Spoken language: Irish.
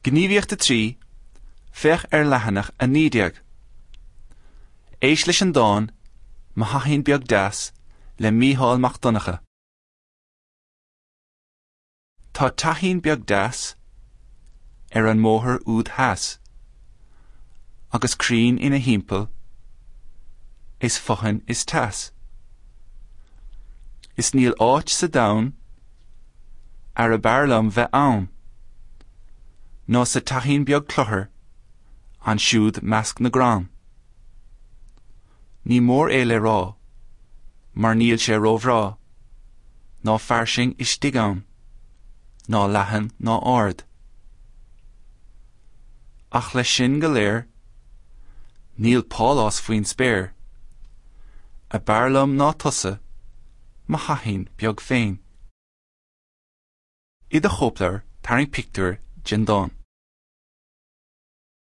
Gníomhaíocht 3, Féach ar leathanach 19. Éist leis an dán 'Mo Theachín Beag Deas' le Mícheál Mac Donncha. Tá teachín beag deas ar an mbóthar úd theas, agus crainn ina thimpeall is fothain is teas. Is níl áit sa domhan arb fhearr liom bheith ann ná sa teachín beag cluthar ansiúd measc na gcrann. Ní mór é le rá mar níl sé róbhreá ná fairsing istigh ann, ná leathan ná ard. Ach leis sin go léir, níl pálás faoin spéir ab fhearr liom ná tusa, mo theachín beag féin. I do chóipleabhar, tarraing pictiúr den dán.